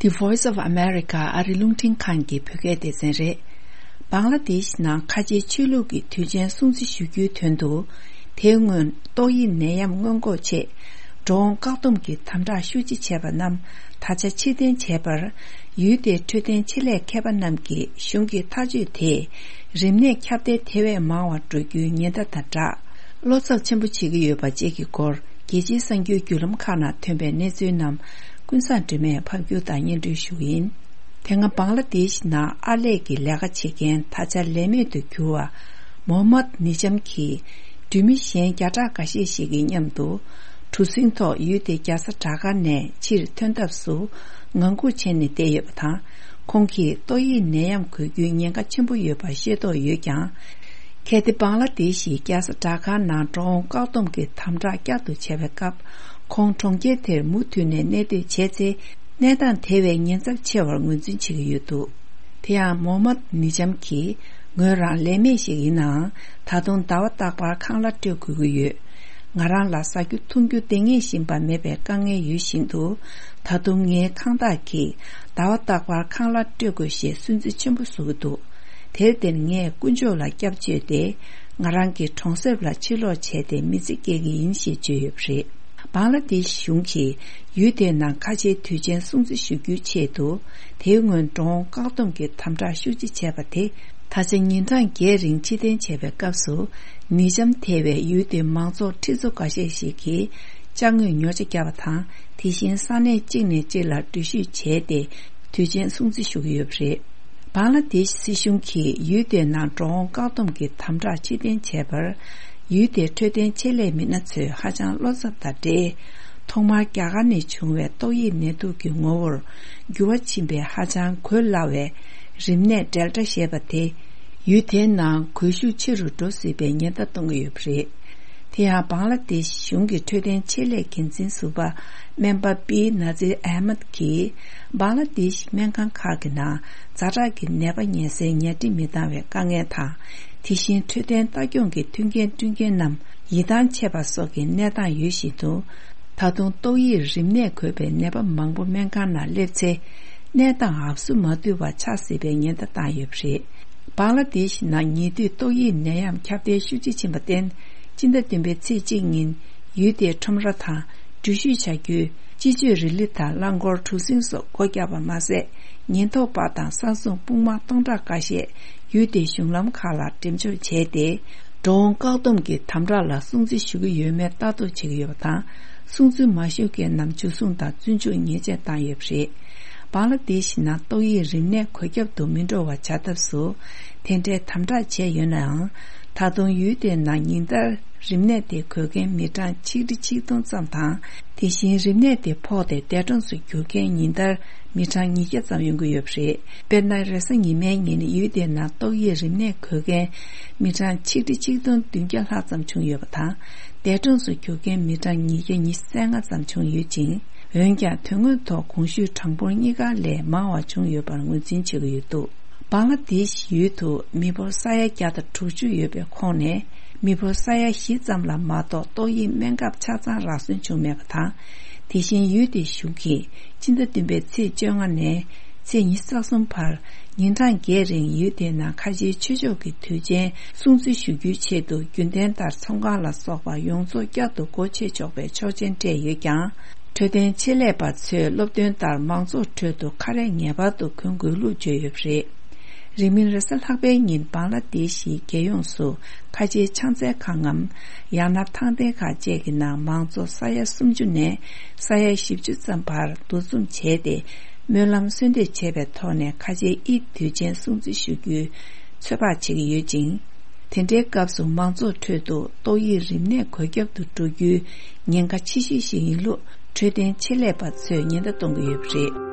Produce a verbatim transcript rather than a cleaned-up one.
The Voice of America ཨ་རི་རླུང་འཕྲིན་ཁང་གི་བོད་སྐད་སྡེ་ཚན་རེད། བང་ལ་དེཤ་ནང་ཁ་ཆེའི་ཆོས་ལུགས་ཀྱི་དུས་ཆེན་སྲུང་བརྩི་ཞུ་རྒྱུའི་དོན་དུ། དེའི་སྔོན་ཏོག་དབྱིབས་ནད་ཡམས་སྔོན་འགོག་ཆེད། འགྲོ་འོང་བཀག་སྡོམ་གྱི་དམ་དྲག་ཤུགས་ཆེ་བྱས་པ་རྣམས་ད་ཆ་ཕྱིར་འཐེན་བྱས་པར། ཡུལ་དེའི་འཕྲོད་བསྟེན་ཆེད་ལས་མཁས་པ་རྣམས་ཀྱིས་གཞུང་གི་ཐག་གཅོད་དེས། རིམས་ནད་ཁྱབ་གདལ་དེ་བས་མང་བ་འགྲོ་རྒྱུའི་ཉེན་བརྡ་དང་སྦྲགས། བློ་འཚབ་ཆེན་པོ་བྱེད་ཀྱི་ཡོད་པ་བཅས་ཀྱི་སྐོར། རྒྱལ་སྤྱིའི་གསར་འགྱུར་བརྒྱུད་ལམ་ཁག་ནང་ཐོན་པའི་གནས་ཚུལ་རྣམས་ཀུན་བཟང་སྒྲོལ་མས་ཕབ་སྒྱུར་དང་སྙན་སྒྲོན་ཞུ་གི་ཡིན། དེ་སྔ་བང་ལ་དེཤ་ནང་ཨར་ལས་ཀྱི་ལས་ཀ་བྱེད་མཁན་ད་ཆ་ལས་མེད་དུ་གྱུར་བ་མོ་མད་ནི་ཇམ་གྱིས། འགྲུལ་མི་གཞན་བརྒྱ་ཕྲག་འགའ་ཤས་ཤིག་གི་མཉམ་དུ། གྲུ་གཟིངས་ཐོག་ཡུལ་དེའི་རྒྱལ་ས་ཌ་ཀར་ནས་ཕྱིར་ཐོན་ཐབས་སུ་ངང་སྒུག་བྱས་ནས་བསྡད་ཡོད་པ་དང་། ཁོང་གིས་ཏོག་དབྱིབས་ནད་ཡམས་འགོས་རྒྱུའི་ཉེན་ཁ་ཆེན་པོ་ཡོད་པ་ཤེས་རྟོགས་ཡོད་ཀྱང་། གལ་ཏེ་བང་ལ་དེཤ་ཡི་རྒྱལ་ས་ཌ་ཀར་ནང་འགྲོ་འོང་བཀག་སྡོམ་གྱི་དམ་དྲག་བསྐྱར་དུ་བྱས་པའི་སྐབས། ཁོང་གྲོང་ཁྱེར་དེར་མུ་མཐུད་ནས་གནས་སྡོད་བྱས་ཚེ། གནས་སྟངས་དེ་བས་ཉེན་ཚབས་ཆེ་བར་ངོས་འཛིན་བྱེད་ཀྱི་ཡོད་འདུག་དེ་ཡང་མོ་མད་ནི་ཇམ་གྱིས། ངོས་རང་ལས་མེད་ཞིག་ཡིན་ནའང་། ད་དུང་ཟླ་བ་རྟག་པར་ཁང་གླ་སྤྲོད་དགོས་ཀྱི་ཡོད། ང་རང་ལ་ཟ་རྒྱུ་འཐུང་རྒྱུ་འདང་ངེས་བཞིན་པ་མེད་པའི་དཀའ་ངལ་ཡོད་བཞིན་དུ། ད་དུང་ངའི་ཁང་བདག་གིས་ཟླ་བ་རྟག་པར་ཁང་གླ་སྤྲོད་དགོས་ཞེས་སུན་གཙེར་ཆེན་པོ་བཟོ་གི་འདུག་དེར་བརྟེན་ངས་དཀོན་མཆོག་ལ་སྐྱབས་བཅོལ་ཏེ། ང་རང་གི་གྲོང་གསེབ་ལ་ཕྱིར་ལོག་བྱས་ཏེ་མི་ཚེ་སྐྱེལ་གྱི་ཡིན་ཞེས་བརྗོད་ཡོད་པ་རེད། བང་ལ་དེཤ་གཞུང་གིས་ཡུལ་དེའི་ནང་ཁ་ཆེའི་དུས་ཆེན་སྲུང་བརྩི་ཞུ་རྒྱུའི་ཆེད་དུ། དེའི་སྔོན་འགྲོ་འོང་བཀག་སྡོམ་གྱི་དམ་དྲག་ཤུགས་ཆེ་བྱས་པ་དེ། ད་ཆ་ཉིན་གྲངས་བརྒྱད་རིང་ཕྱིར་འཐེན་བྱས་པའི་སྐབས་སུ། ནི་ཇམ་ཐེ་བའི་ཡུལ་དེའི་མང་ཚོགས་ཁྲི་ཚོ་འགའ་ཤས་ཤིག་གིས་ཅ་དངོས་ཉོ་ཆ་བརྒྱབ་པ་དང་། དེ་བཞིན་ས་གནས་གཅིག་ནས་གཅིག་ལ་འགྲུལ་བཞུད་བྱས་ཏེ། དུས་ཆེན་སྲུང་བརྩི་ཞུ་གི་ཡོད་པ་རེད། བང་ལ་དེཤ་སྲིད་གཞུང་གིས་ཡུལ་དེའི་ནང་འགྲོ་འོང་བཀག་སྡོམ་གྱི་དམ་དྲག་ཕྱིར་འཐེན་བྱས་པར། ཡུལ་དེའི་འཕྲོད་བསྟེན་ཆེད་ལས་མི་སྣ་ཚོས་ཧ་ཅང་བློ་འཚབ་དང་འབྲེལ། ཐོག་མར་རྒྱ་གར་ནས་བྱུང་བའི་ཏོག་དབྱིབས་ནད་དུག་གི་ངོ་བོར་འགྱུར་བ་ཕྱིན་པའི་ཧ་ཅང་འགོས་སླ་བའི་རིམས་ནད་ཌེལ་ཊ་ཞེས་པ་དེ། ཡུལ་དེའི་ནང་འགོས་ཤུགས་ཆེ་རུ་འགྲོ་སྲིད་པའི་ཉེན་བརྡ་གཏོང་གི་ཡོད་པ་རེད། དེ་ཡང་བང་ལ་དེཤ་གཞུང་གི་འཕྲོད་བསྟེན་ཆེད་ལས་འགན་འཛིན་ཟུར་པ་སྨན་པ་པི་ན་ཛིར་ཨ་མད་ཀྱིས། བང་ལ་དེཤ་སྨན་ཁང་ཁག་གི་ནང་ཛ་དྲག་གི་ནད་པ་ཉལ་སའི་ཉལ་ཁྲི་མི་འདང་བའི་དཀའ་ངལ་དང་། དེ་བཞིན་འཕྲོད་བསྟེན་ལྟ་སྐྱོང་གི་མཐུན་རྐྱེན་བསྐྲུན་མཁན་རྣམས་ཡིད་ཐང་ཆད་པ་སོགས་ཀྱི་གནས་སྟངས་ཡོད་བཞིན་དུ། ད་དུང་ཏོག་དབྱིབས་རིམས་ནད་འགོས་པའི་ནད་པ་མང་པོ་སྨན་ཁང་ནང་སླེབས་ཚེ། གནས་སྟངས་ཨབ་སུ་མ་ཐུབ་པ་ཆགས་སྲིད་པའི་ཉེན་བརྡ་བཏང་ཡོད་པ་རེད། བང་ལ་དེཤ་ནང་ཉེ་དུས་ཏོག་དབྱིབས་ནད་ཡམས་ཁྱབ་གདལ་ཤུགས་ཆེ་ཕྱིན་པར་བརྟེན། སྤྱི་ཟླ་བདུན་པའི་ཚེས་གཅིག་ཉིན། ཡུལ་དེའི་ཁྲོམ་ར་དང་། འགྲུལ་བཞུད་བྱ་རྒྱུའི་སྤྱི་སྤྱོད་རི་ལི་དང་རླངས་འཁོར་གྲུ་གཟིངས་སོགས་སྒོ་བརྒྱབ་པ་མ་ཟད། ཉེན་རྟོག་པ་དང་ས་སྲུང་དཔུང་དམག་སྟོང་ཕྲག་འགའ་ཤས་ཡུལ་དེའི་གཞུང་ལམ་ཁག་ལ་འགྲེམས་འཇོག་བྱས་ཏེ། འགྲོ་འོང་བཀག་སྡོམ་གྱི་དམ་དྲག་ལ་སྲུང་བརྩི་ཞུ་གི་ཡོད་མེད་ལྟ་རྟོག་བྱེད་ཀྱི་ཡོད་པ་དང་། སྲུང་བརྩི་མ་ཞུ་མཁན་རྣམས་འཇུ་བཟུང་དང་བཙོན་འཇུག་ཉེས་ཆད་བཏང་ཡོད་པ་རེད། བང་ལ་དེཤ་ནང་ཏོག་དབྱིབས་རིམས་ནད་འགོས་ཁྱབ་ཏུ་མི་འགྲོ་བ་བྱ་ཐབས་སུ། དེ་འདྲའི་དམ་དྲག་བྱས་ཡོད་ནའང་། ད་དུང་ཡུལ་དེའི་ནང་ཉིན་ལྟར་རིམས་ནད་དེ་འགོས་མཁན་མི་གྲངས་ཆིག་ཁྲི་ཆིག་སྟོང་ཙམ་དང་། དེ་བཞིན་རིམས་ནད་དེ་ཕོག་སྟེ་འདས་གྲོངས་སུ་གྱུར་མཁན་ཉིན་ལྟར་མི་གྲངས་ཉིས་བརྒྱ་ཙམ་ཡོང་གི་ཡོད་པ་རེད། དཔེར་ན། རེས་གཟའ་ཉི་མའི་ཉིན་ཡུལ་དེའི་ནང་ཏོག་དབྱིབས་རིམས་ནད་འགོས་མཁན་མི་གྲངས་ཆིག་ཁྲི་ཆིག་སྟོང་བདུན་བརྒྱ་ལྷག་ཙམ་བྱུང་ཡོད་པ་དང་། འདས་གྲོངས་སུ་གྱུར་མཁན་མི་གྲངས་ཉིས་བརྒྱ་ཉི་ཤུ་རྩ་ལྔ་ཙམ་བྱུང་ཡོད་ཅིང་། འོན་ཀྱང་དོན་དངོས་ཐོག་གོང་ཞུས་གྲངས་འབོར་གཉིས་ཀ་ལས་མང་བ་བྱུང་ཡོད་པར་ངོས་འཛིན་བྱེད་ཀྱི་ཡོད་འདུག་བང་ལ་དེཤ་ཡུལ་དུ་མི་འབོར་ས་ཡ་བརྒྱ་དང་དྲུག་ཅུ་ཡོད་པའི་ཁོངས་ནས། མི་འབོར་ས་ཡ་བཞི་ཙམ་ལ་མ་གཏོགས་ཏོག་དབྱིབས་སྨན་ཁབ་ཆ་ཚང་རག་སོན་བྱུང་མེད་པ་དང་། དེ་བཞིན་ཡུལ་དེའི་གཞུང་གིས་སྤྱི་ཟླ་བདུན་པའི་ཚེས་བཅོ་ལྔ་ནས་ཚེས་ཉི་ཤུ་རྩ་གསུམ་བར། ཉིན་གྲངས་བརྒྱད་རིང་ཡུལ་དེའི་ནང་ཁ་ཆེའི་ཆོས་ཕྱོགས་ཀྱི་དུས་ཆེན་སྲུང་བརྩི་ཞུ་རྒྱུའི་ཆེད་དུ། རྒྱུན་ལྡན་ལྟར་ཚོང་ཁང་ལ་སོགས་པ་ཡོངས་རྫོགས་བསྐྱར་དུ་སྒོ་ཕྱེ་ཆོག་པའི་ཆོག་མཆན་སྤྲད་ཡོད་ཀྱང་། འཕྲོད་བསྟེན་ཆེད་ལས་པ་ཚོས་སློབ་སྟོན་ལྟར་མང་ཚོགས་ཁྲོད་དུ་ཁ་རས་ངེས་པར་དུ་གོན་དགོས་ལུགས་བརྗོད་ཡོད་པ་རེད། རིང་མིན་རེས་གཟའ་ལྷག་པའི་ཉིན་བང་ལ་དེ་ཤིའི་རྒྱལ་ཡོངས་སུ་ཁ་ཆེའི་ཕྱག་འཚལ་ཁང་ངམ། ཡང་ན་ཐང་སྟེང་ཁག་བཅས་ཀྱི་ནང་མང་གཙོ་ས་ཡ་སུམ་ཅུ་ནས་ས་ཡ་བཞི་བཅུ་ཙམ་བར་འདུ་འཛོམས་བྱས་ཏེ། སྨོན་ལམ་གསོལ་འདེབས་བྱས་པའི་ཐོག་ནས་ཁ་ཆེའི་དབྱིབས་དུས་ཆེན་སྲུང་བརྩི་ཞུ་རྒྱུའི་ཚོད་དཔག་བྱེད་ཀྱི་ཡོད་ཅིང་། དེ་འདྲའི་སྐབས་སུ་མང་ཚོགས་ཁྲོད་དུ་ཏོག་དབྱིབས་རིམས་ནད་འགོས་ཁྱབ་ཏུ་འགྲོ་རྒྱུའི་ཉེན་ཁ་ཆེ་ཤོས་ཤིག་ཡིན་ལུགས་འཕྲོད་བསྟེན་ཆེད་ལས་པ་ཚོས་ཉེན་བརྡ་གཏོང་གི་ཡོད་པ་རེད།